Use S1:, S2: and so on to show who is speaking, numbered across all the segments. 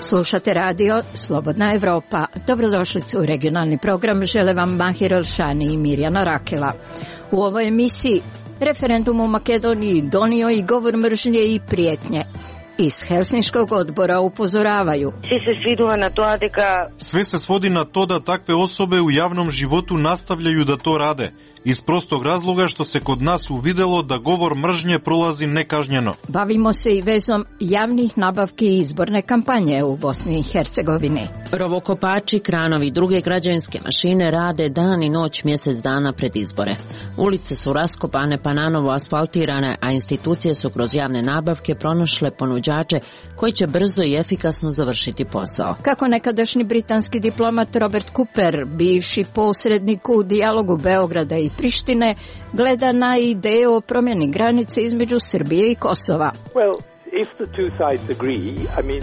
S1: Slušate radio Slobodna Evropa. Dobrodošlicu u regionalni program. Žele vam Mahir Elšani i Mirjana Rakela. U ovoj emisiji referendum u Makedoniji donio i govor mržnje i prijetnje. Iz Helsinškog odbora upozoravaju.
S2: Sve se svodi na to da takve osobe u javnom životu nastavljaju da to rade. Iz prostog razloga što se kod nas uvidelo da govor mržnje prolazi nekažnjeno.
S1: Bavimo se i vezom javnih nabavki i izborne kampanje u Bosni i Hercegovini.
S3: Rovokopači, kranovi i druge građevinske mašine rade dan i noć mjesec dana pred izbore. Ulice su raskopane pa nanovo asfaltirane, a institucije su kroz javne nabavke pronašle ponuđače koji će brzo i efikasno završiti posao.
S1: Kako nekadašnji britanski diplomat Robert Cooper, bivši posrednik u dijalogu Beograda i Prištine, gleda na ideju o promjeni granice između Srbije i Kosova.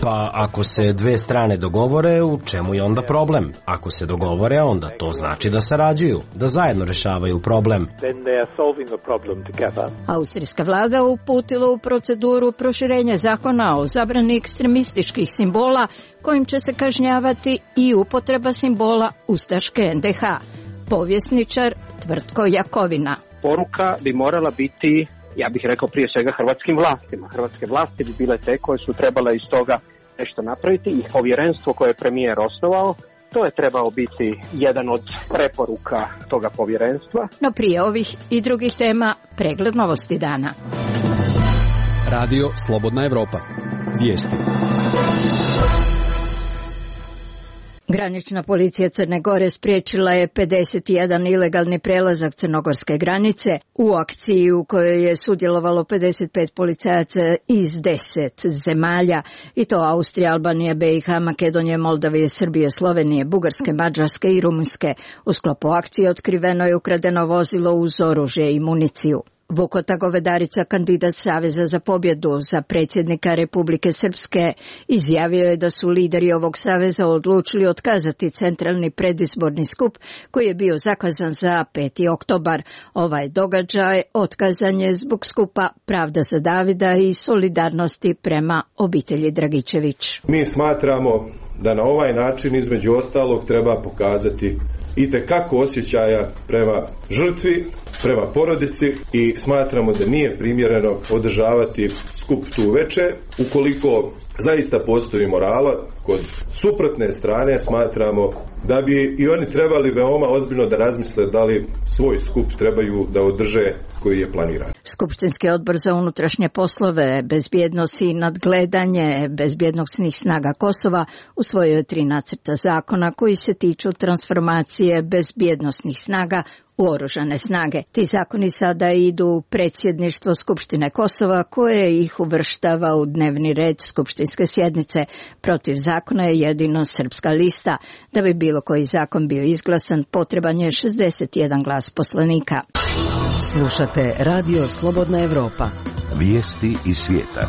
S4: Pa ako se dve strane dogovore, u čemu je onda problem? Ako se dogovore, onda to znači da sarađuju, da zajedno rješavaju problem.
S1: Austrijska vlada uputila u proceduru proširenje zakona o zabrani ekstremističkih simbola, kojim će se kažnjavati i upotreba simbola ustaške NDH. Povjesničar Tvrtko Jakovina.
S5: Poruka bi morala biti, ja bih rekao prije svega hrvatskim vlastima. Hrvatske vlasti bi bile te koje su trebale iz toga nešto napraviti i povjerenstvo koje je premijer osnovao, to je trebao biti jedan od preporuka toga povjerenstva.
S1: No prije ovih i drugih tema pregled novosti dana.
S6: Radio Slobodna Evropa. Vijesti.
S1: Granična policija Crne Gore spriječila je 51 ilegalni prelazak crnogorske granice u akciji u kojoj je sudjelovalo 55 policajaca iz 10 zemalja, i to Austrije, Albanije, BiH, Makedonije, Moldavije, Srbije, Slovenije, Bugarske, Mađarske i Rumunjske. U sklopu akcije otkriveno je ukradeno vozilo uz oružje i municiju. Vukota Govedarica, kandidat Saveza za pobjedu za predsjednika Republike Srpske, izjavio je da su lideri ovog saveza odlučili otkazati centralni predizborni skup koji je bio zakazan za 5. oktobar. Ovaj događaj otkazan je zbog skupa Pravda za Davida i solidarnosti prema obitelji Dragičević.
S7: Mi smatramo da na ovaj način između ostalog treba pokazati itekako osjećaja prema žrtvi, prema porodici, i smatramo da nije primjereno održavati skup tu večer. Ukoliko zaista postoji morala kod suprotne strane, smatramo da bi i oni trebali veoma ozbiljno da razmisle da li svoj skup trebaju da održe koji je planiran.
S1: Skupštinski odbor za unutrašnje poslove, bezbjednost i nadgledanje bezbjednosnih snaga Kosova usvojio je 3 nacrta zakona koji se tiču transformacije bezbjednosnih snaga u oružane snage. Ti zakoni sada idu u predsjedništvo Skupštine Kosova, koje ih uvrštava u dnevni red skupštinske sjednice. Protiv zakona je jedino Srpska lista. Da bi bilo koji zakon bio izglasan, potreban je 61 glas poslanika.
S8: Slušate Radio Slobodna Evropa.
S9: Vijesti iz svijeta.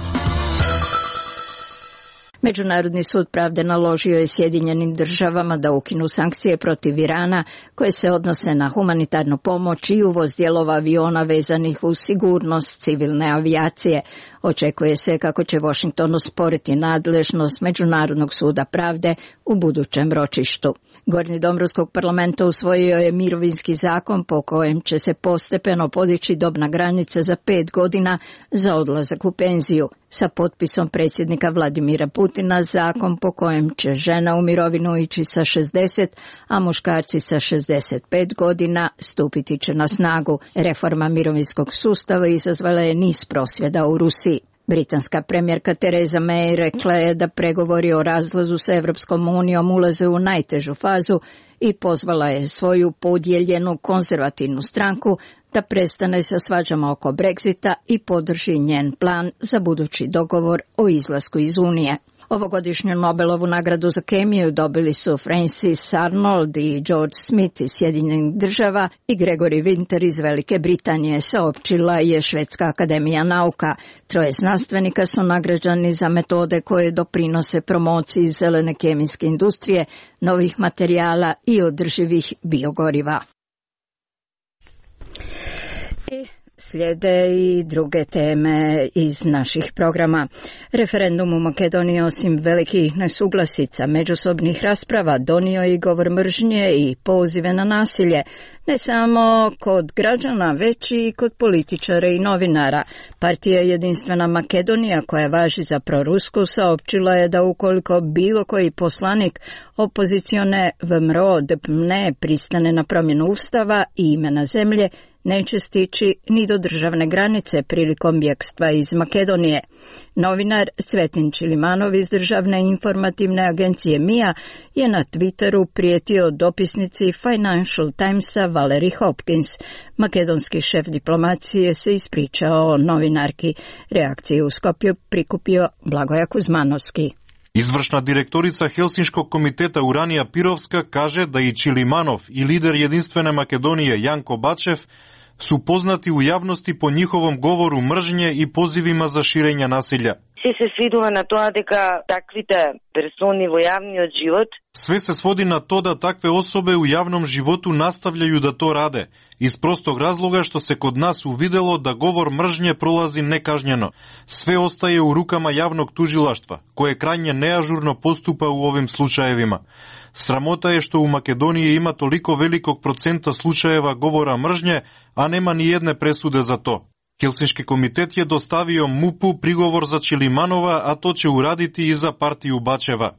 S1: Međunarodni sud pravde naložio je Sjedinjenim državama da ukinu sankcije protiv Irana koje se odnose na humanitarnu pomoć i uvoz dijelova aviona vezanih uz sigurnost civilne avijacije. Očekuje se kako će Washington osporiti nadležnost Međunarodnog suda pravde u budućem ročištu. Gornji dom Ruskog parlamenta usvojio je mirovinski zakon po kojem će se postepeno podići dobna granica za 5 godina za odlazak u penziju. Sa potpisom predsjednika Vladimira Putina zakon po kojem će žena u mirovinu ići sa 60, a muškarci sa 65 godina stupiti će na snagu. Reforma mirovinskog sustava izazvala je niz prosvjeda u Rusiji. Britanska premijerka Theresa May rekla je da pregovori o razlazu s Europskom unijom ulaze u najtežu fazu i pozvala je svoju podijeljenu konzervativnu stranku da prestane sa svađama oko Brexita i podrži njen plan za budući dogovor o izlasku iz Unije. Ovogodišnju Nobelovu nagradu za kemiju dobili su Francis Arnold i George Smith iz Sjedinjenih država i Gregory Winter iz Velike Britanije, saopćila je Švedska akademija nauka. 3 znanstvenika su nagrađeni za metode koje doprinose promociji zelene kemijske industrije, novih materijala i održivih biogoriva. Slijede i druge teme iz naših programa. Referendum u Makedoniji osim velikih nesuglasica, međusobnih rasprava donio i govor mržnje i pozive na nasilje, ne samo kod građana, već i kod političara i novinara. Partija Jedinstvena Makedonija, koja važi za prorusku, saopćila je da ukoliko bilo koji poslanik opozicione VMRO ne pristane na promjenu ustava i imena zemlje, neće stići ni do državne granice prilikom bjegstva iz Makedonije. Novinar Cvetin Čilimanov iz državne informativne agencije MIA je na Twitteru prijetio dopisnici Financial Timesa Valerie Hopkins. Makedonski šef diplomacije se ispričao novinarki. Reakciju u Skopju prikupio Blagoja Kuzmanovski.
S2: Izvršna direktorica Helsinškog komiteta Uranija Pirovska kaže da i Čilimanov i lider Jedinstvene Makedonije Janko Bačev su poznati u javnosti po njihovom govoru mržnje i pozivima za širenja nasilja. Sve se svodi na to da takve osobe u javnom životu nastavljaju da to rade, iz prostog razloga što se kod nas uvidelo da govor mržnje prolazi nekažnjeno. Sve ostaje u rukama javnog tužilaštva, koje krajnje neažurno postupa u ovim slučajevima. Sramota je što u Makedoniji ima toliko velikog procenta slučajeva govora mržnje, a nema ni jedne presude za to. Helsinški komitet je dostavio MUP-u prigovor za Čilimanova, a to će uraditi i za partiju Bačeva.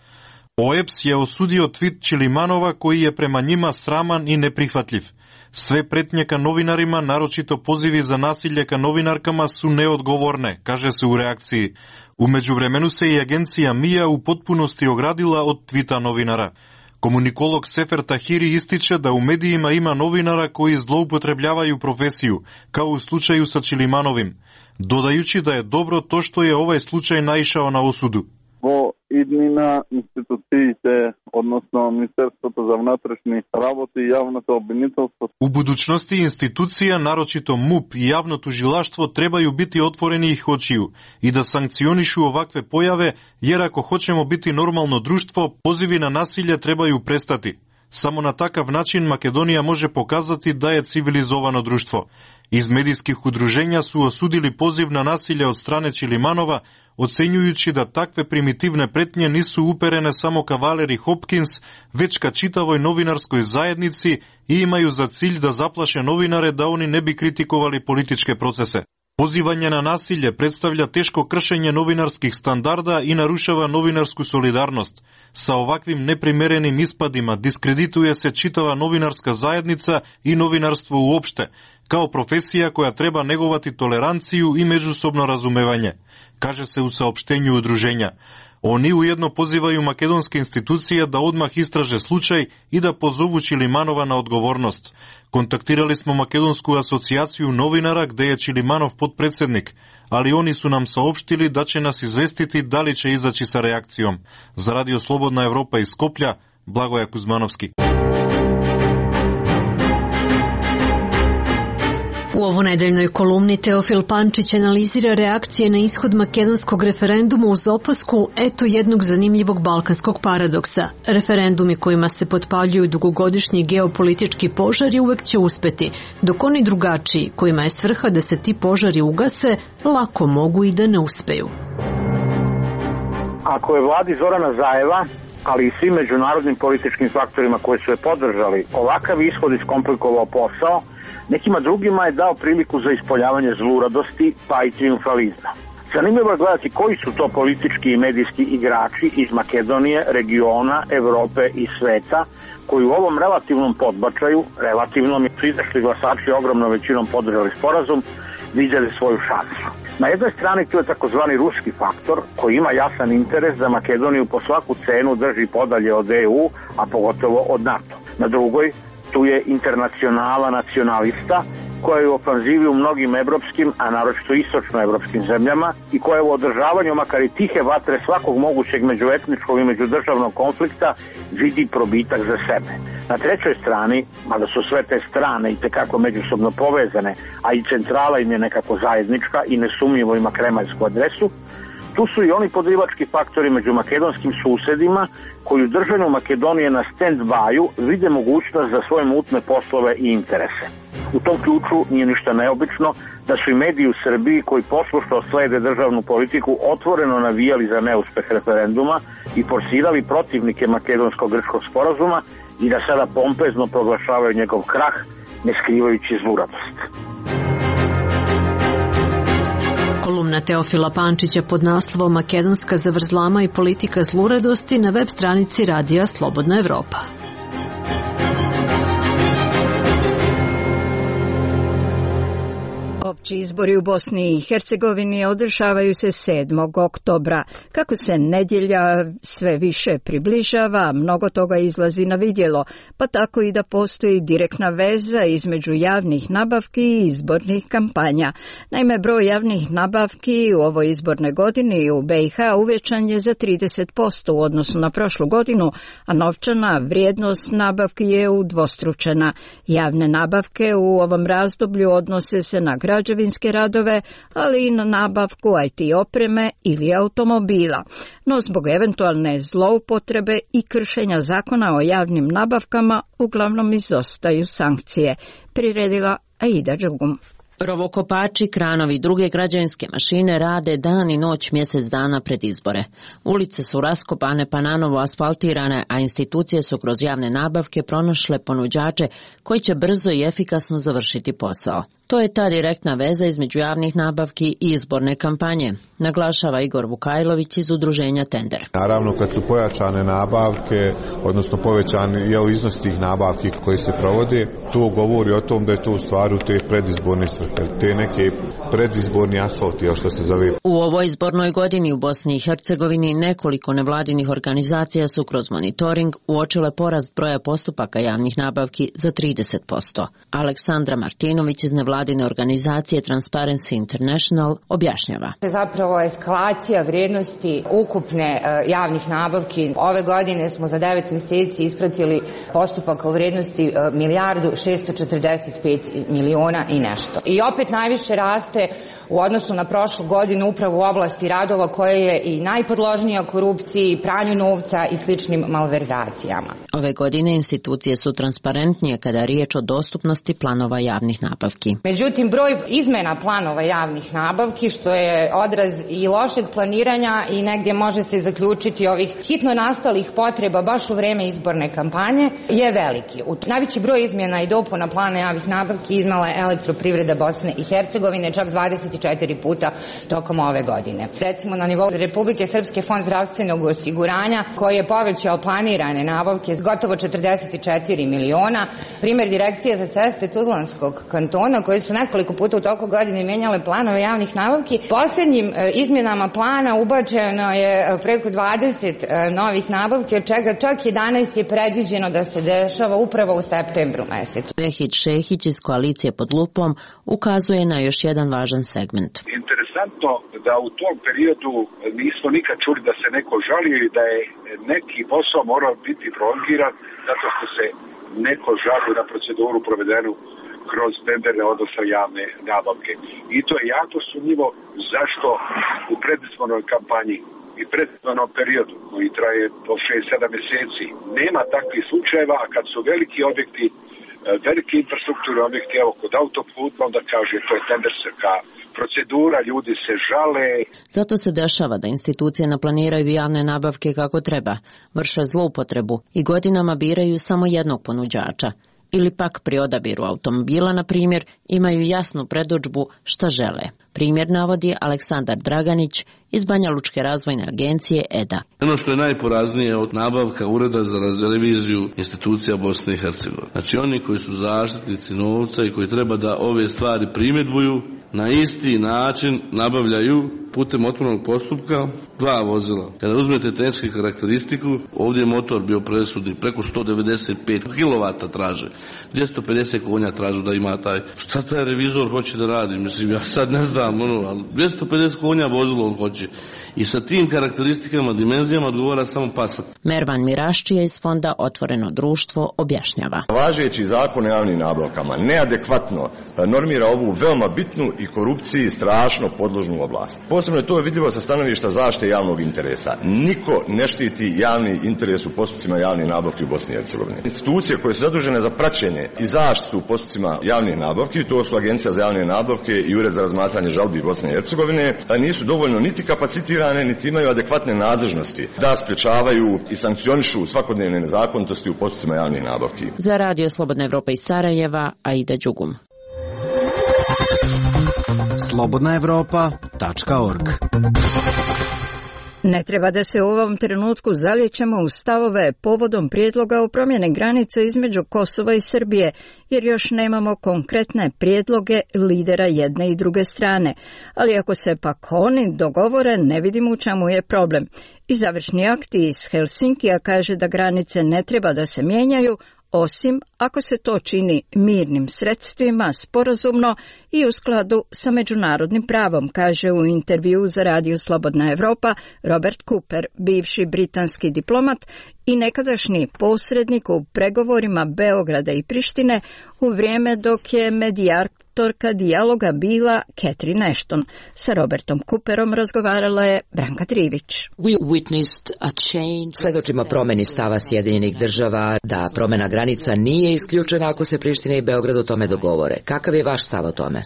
S2: OEBS je osudio tweet Čilimanova koji je prema njima sraman i neprihvatljiv. Sve pretnje ka novinarima, naročito pozivi za nasilje ka novinarkama, su neodgovorne, kaže se u reakciji. U međuvremenu se i agencija MIA u potpunosti ogradila od tvita novinara. Komunikolog Sefer Tahiri ističe da u medijima ima novinara koji zloupotrebljavaju profesiju, kao u slučaju sa Čilimanovim, dodajući da je dobro to što je ovaj slučaj naišao na osudu.
S10: Иднина институциите, односно Министерството за внатрешни работи и јавното обвинителство.
S2: U budućnosti institucija, naročito MUP i javno tužilaštvo, trebaju biti otvoreni ih očiju i da sankcionišu ovakve pojave, jer ako hoćemo biti normalno društvo, pozivi na nasilje trebaju prestati. Samo na takav način Makedonija može pokazati da je civilizovano društvo. Iz medijskih udruženja su osudili poziv na nasilje od strane Čilimanova, ocenjujući da takve primitivne pretnje nisu uperene samo ka Valerie Hopkins, već ka čitavoj novinarskoj zajednici i imaju za cilj da zaplaše novinare da oni ne bi kritikovali političke procese. Pozivanje na nasilje predstavlja teško kršenje novinarskih standarda i narušava novinarsku solidarnost. Sa ovakvim neprimerenim ispadima diskredituje se čitava novinarska zajednica i novinarstvo uopšte, kao profesija koja treba negovati toleranciju i međusobno razumevanje, kaže se u saopštenju udruženja. Oni ujedno pozivaju makedonske institucije da odmah istraže slučaj i da pozovu Čilimanova na odgovornost. Kontaktirali smo Makedonsku asocijaciju novinara gde je Čilimanov potpredsjednik, ali oni su nam saopštili da će nas izvestiti da li će izaći sa reakcijom. Za Radio Slobodna Evropa iz Skoplja, Blagoja Kuzmanovski.
S11: U ovonedeljnoj kolumni Teofil Pančić analizira reakcije na ishod makedonskog referenduma uz opasku eto jednog zanimljivog balkanskog paradoksa. Referendumi kojima se potpaljuju dugogodišnji geopolitički požari uvek će uspeti, dok oni drugačiji, kojima je svrha da se ti požari ugase, lako mogu i da ne uspeju.
S12: Ako je vladi Zorana Zajeva, ali i svim međunarodnim političkim faktorima koji su je podržali, ovakav ishod iskomplikovao posao, nekima drugima je dao priliku za ispoljavanje zluradosti pa i triumfalizma. Zanimljivo je gledati koji su to politički i medijski igrači iz Makedonije, regiona, Evrope i sveta koji u ovom relativnom podbačaju, relativnom su izašli glasači ogromnom većinom podržali sporazum, vidjeli svoju šansu. Na jednoj strani tu je takozvani ruski faktor koji ima jasan interes da Makedoniju po svaku cenu drži podalje od EU, a pogotovo od NATO. Na drugoj tu je internacionala nacionalista koja je u ofanzivi u mnogim evropskim, a naročito istočnoevropskim zemljama i koja je u održavanju makar i tihe vatre svakog mogućeg međuetničkog i međudržavnog konflikta vidi probitak za sebe. Na trećoj strani, mada su sve te strane i tekako međusobno povezane, a i centrala im je nekako zajednička i nesumnjivo ima kremaljsku adresu, Tu su i oni podrivački faktori među makedonskim susedima koji u držanju Makedonije na stand-byu vide mogućnost za svoje mutne poslove i interese. U tom ključu nije ništa neobično da su i mediji u Srbiji koji poslušno slede državnu politiku otvoreno navijali za neuspeh referenduma i forsirali protivnike makedonsko-grčkog sporazuma i da sada pompezno proglašavaju njegov krah, ne skrivajući zluradost.
S11: Kolumna Teofila Pančića pod naslovom Makedonska zavrzlama i politika zluradosti na web stranici Radija Slobodna Evropa.
S1: Opći izbori u Bosni i Hercegovini održavaju se 7. oktobra. Kako se nedjelja sve više približava, mnogo toga izlazi na vidjelo, pa tako i da postoji direktna veza između javnih nabavki i izbornih kampanja. Naime, broj javnih nabavki u ovoj izbornoj godini u BiH uvećan je za 30% u odnosu na prošlu godinu, a novčana vrijednost nabavki je udvostručena. Javne nabavke u ovom razdoblju odnose se na građevinske radove, ali i na nabavku IT opreme ili automobila. No zbog eventualne zloupotrebe i kršenja zakona o javnim nabavkama uglavnom izostaju sankcije. Priredila Aida Đugum.
S3: Rovokopači, kranovi i druge građevinske mašine rade dan i noć mjesec dana pred izbore. Ulice su raskopane pa nanovo asfaltirane, a institucije su kroz javne nabavke pronašle ponuđače koji će brzo i efikasno završiti posao. To je ta direktna veza između javnih nabavki i izborne kampanje, naglašava Igor Vukajlović iz udruženja Tender.
S13: Naravno, kad su pojačane nabavke, odnosno povećani iznos tih nabavki koji se provode, to govori o tom da je to u stvari te predizborne svrhe, te neke predizborni asfalti, što se zove.
S3: U ovoj izbornoj godini u Bosni i Hercegovini nekoliko nevladinih organizacija su kroz monitoring uočile porast broja postupaka javnih nabavki za 30%. Aleksandra Martinović iz nevladine organizacije Transparency International objašnjava.
S14: Zapravo eskalacija vrijednosti ukupne javnih nabavki. Ove godine smo za 9 mjeseci ispratili postupak u vrijednosti $1.645.000.000 i nešto. I opet najviše raste u odnosu na prošlu godinu upravo u oblasti radova koje je i najpodložnija korupciji, pranju novca i sličnim malverzacijama.
S3: Ove godine institucije su transparentnije kada je riječ o dostupnosti planova javnih nabavki.
S14: Međutim, broj izmena planova javnih nabavki, što je odraz i lošeg planiranja i negdje može se zaključiti ovih hitno nastalih potreba baš u vrijeme izborne kampanje, je veliki. Najveći broj izmjena i dopuna plana javnih nabavki iznala je Elektroprivreda Bosne i Hercegovine, čak 24 puta tokom ove godine. Recimo na nivou Republike Srpske fond zdravstvenog osiguranja koji je povećao planirane nabavke s gotovo 44 miliona. Primjer Direkcije za ceste Tuzlanskog kantona koji su nekoliko puta u toku godine mijenjale planove javnih nabavki. Posljednjim izmjenama plana ubačeno je preko 20 novih nabavki, od čega čak 11 je predviđeno da se dešava upravo u septembru mjesecu.
S3: Vehid Šehić iz koalicije Pod lupom ukazuje na još jedan važan segment.
S15: Interesantno da u tom periodu nismo nikad čuli da se neko žalio i da je neki posao morao biti prolongiran zato što se neko žalio na proceduru provedenu kroz tenderne, odnosno javne nabavke. I to je jako sumnjivo zašto u predizbornoj kampanji i predizbornom periodu koji traje po 6-7 mjeseci nema takvih slučajeva, a kad su veliki objekti, veliki infrastrukturni objekti, evo kod autoputa, onda kaže to je tenderska procedura, ljudi se žale.
S3: Zato se dešava da institucije naplaniraju javne nabavke kako treba, vrše zloupotrebu i godinama biraju samo jednog ponuđača. Ili pak pri odabiru automobila, na primjer, imaju jasnu predodžbu šta žele. Primjer navodi Aleksandar Draganić iz Banja Lučke razvojne agencije EDA.
S16: Ono što je najporaznije od nabavka Ureda za reviziju institucija Bosne i Hercegovine. Znači oni koji su zaštitnici novca i koji treba da ove stvari primjedbuju, na isti način nabavljaju putem otvorenog postupka 2 vozila. Kada uzmete tehničku karakteristiku, ovdje je motor bio presudni, preko 195 kW traže, 250 konja tražu da ima taj. Šta taj revizor hoće da radi? Mislim, ja sad ne znam, ali 250 konja vozilo on hoće. pomoći. I sa tim karakteristikama, dimenzijama odgovara samo Passat.
S3: Mervan Miraščija iz fonda Otvoreno društvo objašnjava.
S17: Važeći zakon o javnim nabavkama neadekvatno normira ovu veoma bitnu i korupciji strašno podložnu oblast. Posebno je to vidljivo sa stanovišta zaštite javnog interesa. Niko ne štiti javni interes u postupcima javnih nabavki u Bosni i Hercegovini. Institucije koje su zadužene za praćenje i zaštitu u postupcima javnih nabavki, to su Agencija za javne nabavke i Ured za razmatranje žalbi Bosne i Hercegovine, nisu dovoljno niti kapacitirane, niti imaju adekvatne nadležnosti da sprječavaju i sankcionišu svakodnevne nezakonitosti u postupcima javnih nabavki.
S3: Za Radio Slobodna Evropa iz Sarajeva, Aida Đugum.
S4: slobodnaevropa.org.
S1: Ne treba da se u ovom trenutku zalijećemo u stavove povodom prijedloga o promjene granice između Kosova i Srbije, jer još nemamo konkretne prijedloge lidera jedne i druge strane. Ali ako se pak oni dogovore, ne vidimo u čemu je problem. I završni akt iz Helsinkija kaže da granice ne treba da se mijenjaju, osim ako se to čini mirnim sredstvima, sporazumno i u skladu sa međunarodnim pravom, kaže u intervjuu za Radio Slobodna Evropa Robert Cooper, bivši britanski diplomat i nekadašnji posrednik u pregovorima Beograda i Prištine u vrijeme dok je medijatorka dijaloga bila Catherine Ashton. Sa Robertom Cooperom razgovarala je Branka Trivić.
S18: Svedočimo promjeni stava Sjedinjenih država da promjena granica nije isključena ako se Priština i Beograd o tome dogovore. Kakav je vaš stav o tome?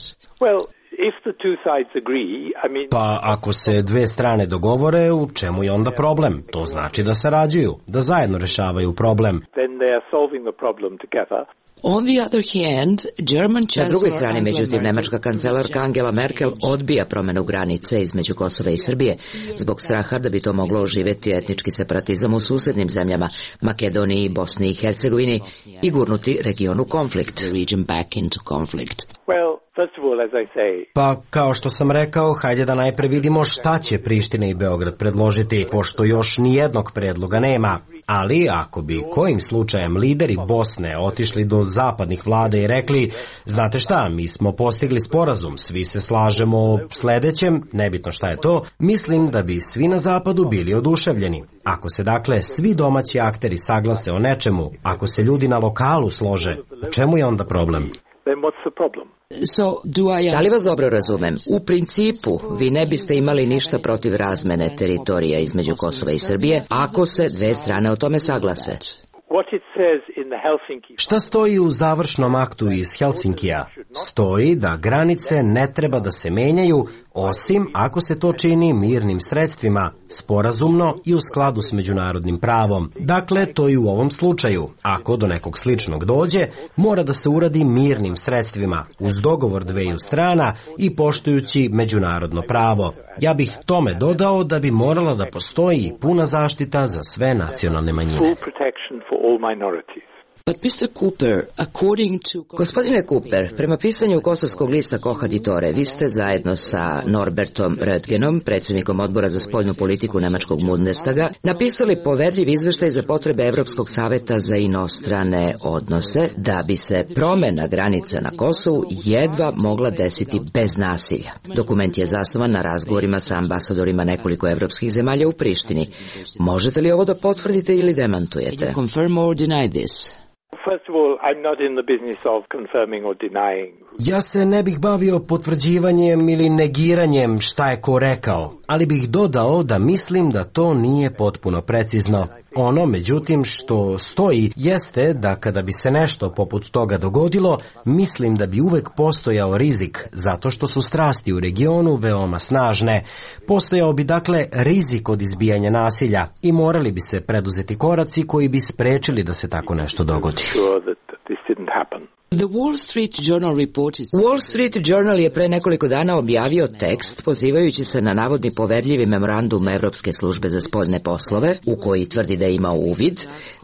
S4: Pa ako se dve strane dogovore, u čemu je onda problem? To znači da sarađuju, da zajedno rešavaju problem.
S18: Na drugoj strani, međutim, nemačka kancelarka Angela Merkel odbija promjenu granice između Kosova i Srbije zbog straha da bi to moglo oživjeti etnički separatizam u susjednim zemljama, Makedoniji, Bosni i Hercegovini i gurnuti region u konflikt.
S4: Pa, kao što sam rekao, hajde da najpre vidimo šta će Priština i Beograd predložiti, pošto još nijednog predloga nema. Ali, ako bi kojim slučajem lideri Bosne otišli do zapadnih vlada i rekli, znate šta, mi smo postigli sporazum, svi se slažemo o sledećem, nebitno šta je to, mislim da bi svi na zapadu bili oduševljeni. Ako se dakle svi domaći akteri saglase o nečemu, ako se ljudi na lokalu slože, u čemu je onda problem?
S18: Da li vas dobro razumem? U principu, vi ne biste imali ništa protiv razmene teritorija između Kosova i Srbije, ako se dve strane o tome saglase.
S4: Šta stoji u završnom aktu iz Helsinkija? Stoji da granice ne treba da se menjaju, osim ako se to čini mirnim sredstvima, sporazumno i u skladu s međunarodnim pravom. Dakle, to i u ovom slučaju. Ako do nekog sličnog dođe, mora da se uradi mirnim sredstvima, uz dogovor dveju strana i poštujući međunarodno pravo. Ja bih tome dodao da bi morala da postoji puna zaštita za sve nacionalne manjine.
S18: Gospodine Cooper, prema pisanju kosovskog lista Kohaditore, vi ste zajedno sa Norbertom Röttgenom, predsjednikom odbora za spoljnu politiku Nemačkog Bundestaga, napisali poverljiv izveštaj za potrebe Evropskog saveta za inostrane odnose, da bi se promjena granica na Kosovu jedva mogla desiti bez nasilja. Dokument je zasnovan na razgovorima sa ambasadorima nekoliko evropskih zemalja u Prištini. Možete li ovo da potvrdite ili demantujete?
S4: Ja se ne bih bavio potvrđivanjem ili negiranjem šta je ko rekao, ali bih dodao da mislim da to nije potpuno precizno. Ono, međutim, što stoji jeste da kada bi se nešto poput toga dogodilo, mislim da bi uvek postojao rizik, zato što su strasti u regionu veoma snažne. Postojao bi dakle rizik od izbijanja nasilja i morali bi se preduzeti koraci koji bi sprečili da se tako nešto dogodi.
S18: Wall Street Journal je pre nekoliko dana objavio tekst pozivajući se na navodni poverljivi memorandum Evropske službe za spoljne poslove, u koji tvrdi da ima uvid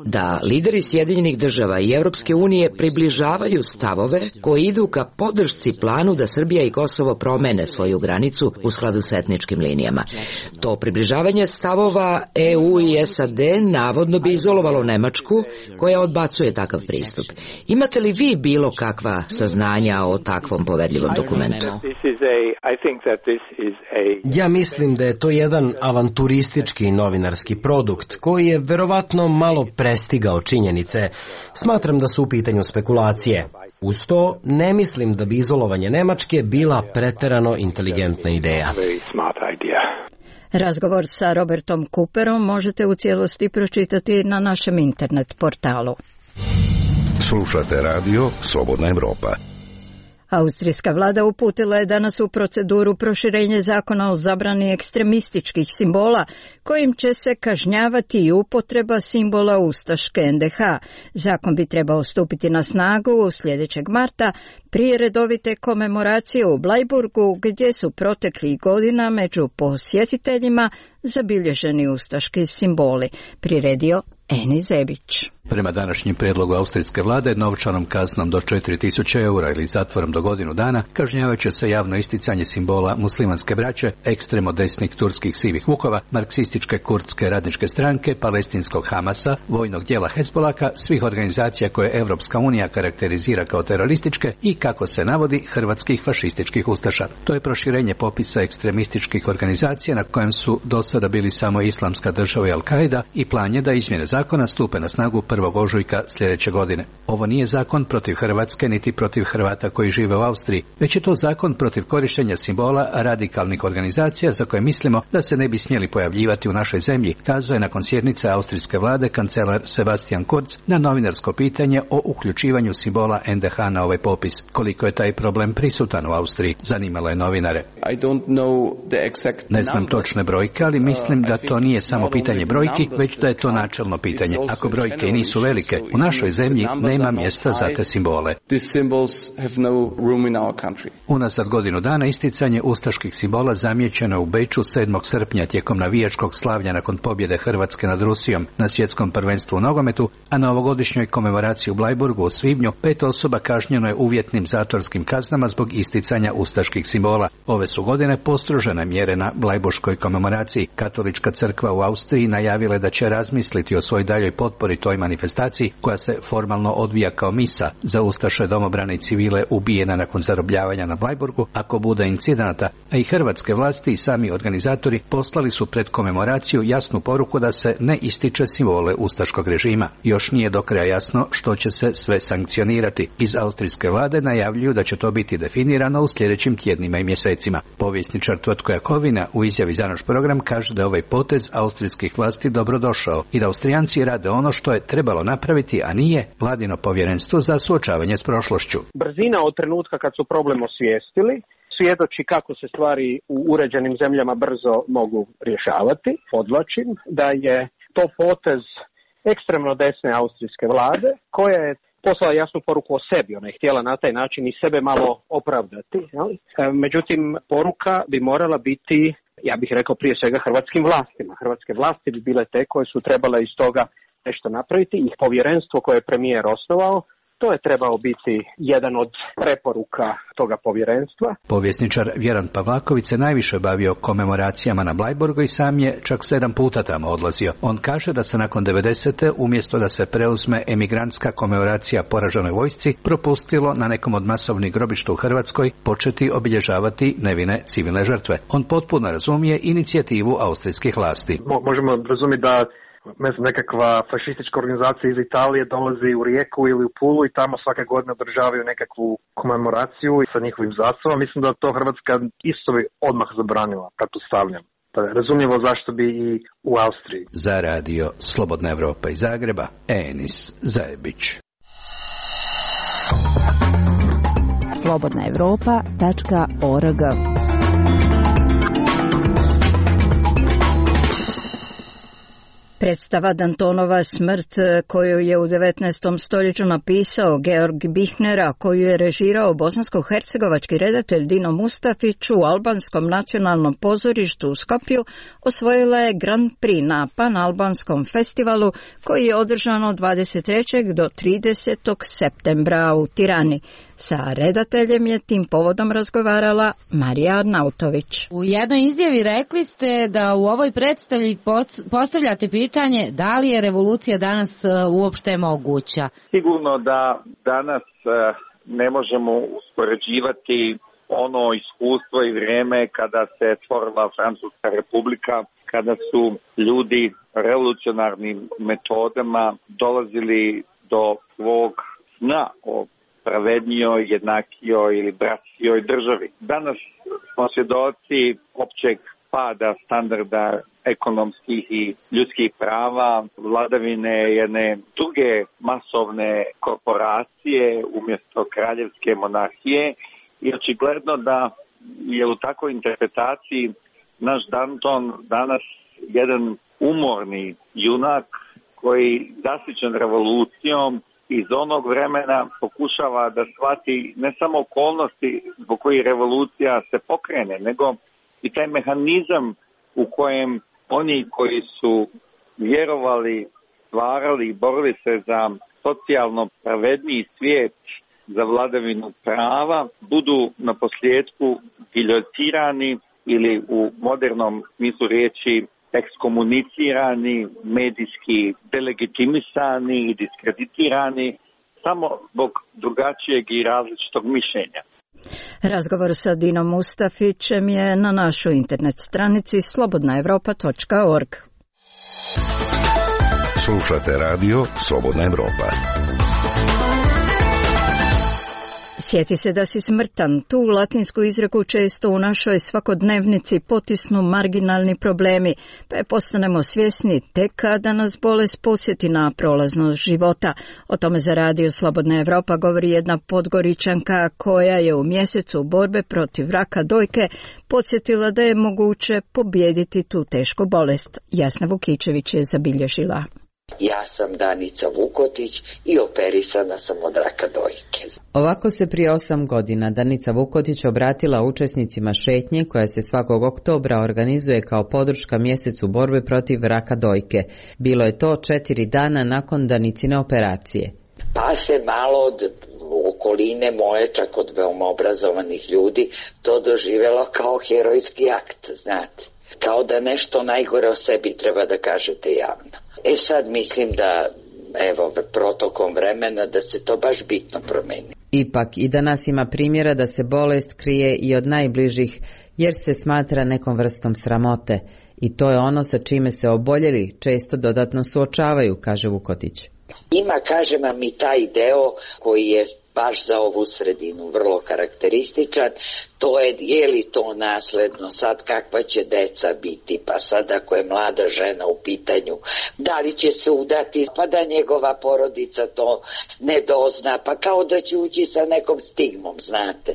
S18: da lideri Sjedinjenih država i Evropske unije približavaju stavove koji idu ka podršci planu da Srbija i Kosovo promene svoju granicu u skladu s etničkim linijama. To približavanje stavova EU i SAD navodno bi izolovalo Nemačku, koja odbacuje takav pristup. Imate li vi bilo bilo kakva saznanja o takvom poverljivom dokumentu?
S4: Ja mislim da je to jedan avanturistički novinarski produkt koji je verovatno malo prestigao činjenice. Smatram da su u pitanju spekulacije. Uz to, ne mislim da bi izolovanje Nemačke bila preterano inteligentna ideja.
S1: Razgovor sa Robertom Cooperom možete u cijelosti pročitati na našem internet portalu.
S9: Slušate radio Slobodna Evropa.
S1: Austrijska vlada uputila je danas u proceduru proširenje zakona o zabrani ekstremističkih simbola, kojim će se kažnjavati i upotreba simbola ustaške NDH. Zakon bi trebao stupiti na snagu sljedećeg marta, prije redovite komemoracije u Blajburgu, gdje su proteklih godina među posjetiteljima zabilježeni ustaški simboli. Priredio Eni Zebić.
S19: Prema današnjem prijedlogu austrijske vlade, novčanom kaznom do 4.000 eura ili zatvorom do godinu dana kažnjavat će se javno isticanje simbola muslimanske braće, ekstremo desnih turskih sivih vukova, marksističke kurdske radničke stranke, palestinskog Hamasa, vojnog dijela Hezbolaka, svih organizacija koje Evropska unija karakterizira kao terorističke i, kako se navodi, hrvatskih fašističkih ustaša. To je proširenje popisa ekstremističkih organizacija na kojem su do sada bili samo Islamska država i Al-Qaida, i plan je da izmjene zakona stupe na snagu 1. ožujka sljedeće godine. Ovo nije zakon protiv Hrvatske niti protiv Hrvata koji žive u Austriji, već je to zakon protiv korištenja simbola radikalnih organizacija za koje mislimo da se ne bi smjeli pojavljivati u našoj zemlji, kazao je nakon sjednice austrijske vlade kancelar Sebastian Kurz na novinarsko pitanje o uključivanju simbola NDH na ovaj popis. Koliko je taj problem prisutan u Austriji, zanimalo je novinare. Ne znam točne brojke, ali mislim da to nije samo pitanje brojki, već da je to načelno pitanje. Ako brojke nisu velike, u našoj zemlji nema mjesta za te simbole. Unazad godinu dana isticanje ustaških simbola zamijećeno u Beču 7. srpnja tijekom navijačkog slavlja nakon pobjede Hrvatske nad Rusijom na svjetskom prvenstvu u nogometu, a na ovogodišnjoj komemoraciji u Blajburgu u svibnju 5 osoba kažnjeno je uvjetnim zatvorskim kaznama zbog isticanja ustaških simbola. Ove su godine postrožene mjere na blajburškoj komemoraciji. Katolička crkva u Austriji najavila je da će razmisliti o svojoj daljoj potpori toj manifestaciji, koja se formalno odvija kao misa za ustaše, domobrane i civile ubijena nakon zarobljavanja na Blajburgu, ako bude incidenata, a i hrvatske vlasti i sami organizatori poslali su pred komemoraciju jasnu poruku da se ne ističe simbole ustaškog režima. Još nije do kraja jasno što će se sve sankcionirati. Iz austrijske vlade najavljuju da će to biti definirano u sljedećim tjednima i mjesecima. Povjesničar Tvrtko Jakovina u izjavi za naš program kaže da je ovaj potez austrijskih vlasti dobrodošao i da Austrijanci rade ono što je trebalo napraviti, a nije vladino povjerenstvo za suočavanje s prošlošću.
S5: Brzina od trenutka kad su problem osvijestili svjedoči kako se stvari u uređenim zemljama brzo mogu rješavati. Podvlačim da je to potez ekstremno desne austrijske vlade, koja je poslala jasnu poruku o sebi. Ona je htjela na taj način i sebe malo opravdati. Međutim, poruka bi morala biti, ja bih rekao, prije svega hrvatskim vlastima. Hrvatske vlasti bi bile te koje su trebale iz toga nešto napraviti, i povjerenstvo koje je premijer osnovao, to je trebao biti jedan od preporuka toga povjerenstva.
S19: Povjesničar Vjeran Pavlaković se najviše bavio komemoracijama na Blajburgu i sam je čak 7 puta tamo odlazio. On kaže da se nakon 90. umjesto da se preuzme emigrantska komemoracija poraženoj vojsci, propustilo na nekom od masovnih grobišta u Hrvatskoj početi obilježavati nevine civilne žrtve. On potpuno razumije inicijativu austrijskih vlasti.
S20: Možemo razumjeti da nekakva fašistička organizacija iz Italije dolazi u Rijeku ili u Pulu i tamo svake godine održavaju nekakvu komemoraciju sa njihovim zastavom. Mislim da to Hrvatska isto bi odmah zabranila, pretpostavljam. Razumljivo zašto bi i u Austriji.
S19: Za radio Slobodna Evropa iz Zagreba, Enis Zajebić.
S8: slobodnaevropa.org.
S1: Predstava Dantonova smrt, koju je u 19. stoljeću napisao Georg Büchner, a koju je režirao bosansko-hercegovački redatelj Dino Mustafić u Albanskom nacionalnom pozorištu u Skopju, osvojila je Grand Prix na Panalbanskom festivalu koji je održan od 23. do 30. septembra u Tirani. Sa redateljem je tim povodom razgovarala Marija Arnautović.
S21: U jednoj izjavi rekli ste da u ovoj predstavi postavljate pitanje da li je revolucija danas uopšte moguća.
S10: Sigurno da danas
S6: ne možemo uspoređivati ono iskustvo i vrijeme kada se stvorila Francuska republika, kada su ljudi revolucionarnim metodama dolazili do svog sna o pravednijoj, jednakijoj ili bratskijoj državi. Danas smo svjedoci općeg pada standarda ekonomskih i ljudskih prava, vladavine jedne druge masovne korporacije umjesto kraljevske monarhije i očigledno da je u takvoj interpretaciji naš Danton danas jedan umorni junak koji zasićen revolucijom iz onog vremena pokušava da shvati ne samo okolnosti zbog kojih revolucija se pokrene, nego i taj mehanizam u kojem oni koji su vjerovali, stvarali i borili se za socijalno pravedniji svijet, za vladavinu prava, budu na posljedku giljotirani ili u modernom smislu riječi ekskomunicirani, medijski delegitimisani i diskreditirani samo zbog drugačijeg i različitog mišljenja.
S1: Razgovor sa Dinom Mustafićem je na našoj internet stranici slobodnaevropa.org.
S9: Slušate radio Slobodna Evropa.
S1: Sjeti se da si smrtan. Tu latinsku izreku često u našoj svakodnevnici potisnu marginalni problemi, pa je postanemo svjesni tek kada nas bolest posjeti na prolaznost života. O tome za radio Slobodna Evropa govori jedna Podgoričanka koja je u mjesecu borbe protiv raka dojke podsjetila da je moguće pobijediti tu tešku bolest. Jasna Vukičević je zabilježila.
S22: Ja sam Danica Vukotić i operisana sam od raka dojke.
S23: Ovako se prije 8 godina Danica Vukotić obratila učesnicima šetnje koja se svakog oktobra organizuje kao podrška mjesecu borbe protiv raka dojke. Bilo je to 4 dana nakon Danicine operacije.
S22: Pa se malo od okoline moje, čak od veoma obrazovanih ljudi, to doživjelo kao herojski akt, znate. Kao da nešto najgore o sebi treba da kažete javno. Sad mislim da, evo, protokom vremena da se to baš bitno promeni.
S23: Ipak i danas ima primjera da se bolest krije i od najbližih, jer se smatra nekom vrstom sramote. I to je ono sa čime se oboljeli često dodatno suočavaju, kaže Vukotić.
S22: Ima, kažem vam, i taj deo koji je baš za ovu sredinu vrlo karakterističan, to je li to nasledno, sad kakva će deca biti, pa sad ako je mlada žena u pitanju, da li će se udati, pa da njegova porodica to ne dozna, pa kao da će ući sa nekom stigmom, znate.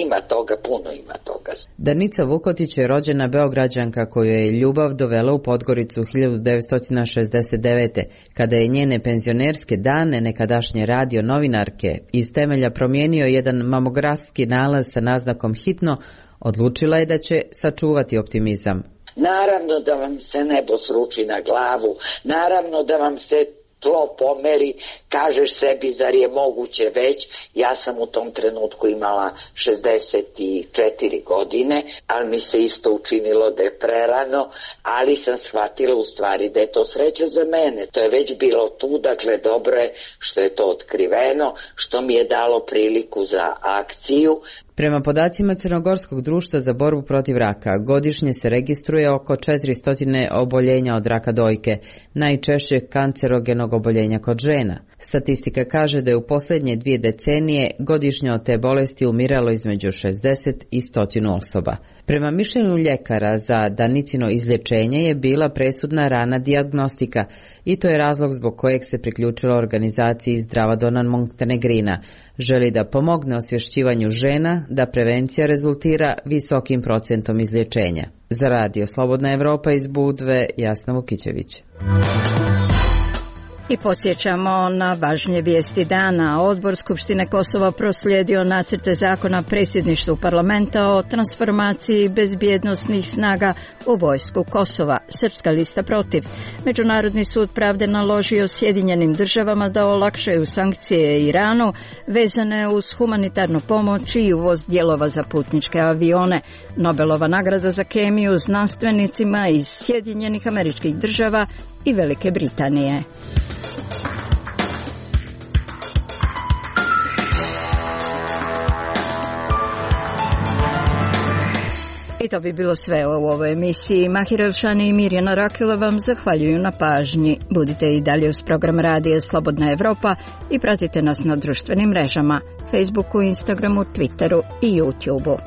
S22: Ima toga, puno ima toga.
S23: Danica Vukotić je rođena Beograđanka koju je ljubav dovela u Podgoricu 1969. kada je njene penzionerske dane nekadašnje radio novinarke iz temelja promijenio jedan mamografski nalaz sa naznakom hitno, odlučila je da će sačuvati optimizam.
S22: Naravno da vam se nebo sruči na glavu, naravno da vam se tlo pomeri, kažeš sebi zar je moguće već. Ja sam u tom trenutku imala 64 godine, ali mi se isto učinilo da je prerano, ali sam shvatila u stvari da je to sreća za mene. To je već bilo tu, dakle dobro je što je to otkriveno, što mi je dalo priliku za akciju.
S23: Prema podacima Crnogorskog društva za borbu protiv raka, godišnje se registruje oko 400 oboljenja od raka dojke, najčešće kancerogenog oboljenja kod žena. Statistika kaže da je u posljednje 2 decenije godišnje od te bolesti umiralo između 60 i 100 osoba. Prema mišljenju ljekara za Danicino izlječenje je bila presudna rana dijagnostika i to je razlog zbog kojeg se priključila organizaciji Zdrava dona Montenegrina. Želi da pomogne osvješćivanju žena da prevencija rezultira visokim procentom izlječenja. Za radio Slobodna Evropa iz Budve, Jasna Vukićević.
S1: I podsjećamo na važnije vijesti dana. Odbor Skupštine Kosova proslijedio nacrte zakona predsjedništvu parlamenta o transformaciji bezbjednosnih snaga u vojsku Kosova. Srpska lista protiv. Međunarodni sud pravde naložio Sjedinjenim državama da olakšaju sankcije Iranu vezane uz humanitarnu pomoć i uvoz dijelova za putničke avione. Nobelova nagrada za kemiju znanstvenicima iz Sjedinjenih Američkih Država i Velike Britanije. I to bi bilo sve u ovoj emisiji. Mahir Elšani i Mirjana Rakila vam zahvaljuju na pažnji. Budite i dalje uz program Radija Slobodna Evropa i pratite nas na društvenim mrežama, Facebooku, Instagramu, Twitteru i YouTubeu.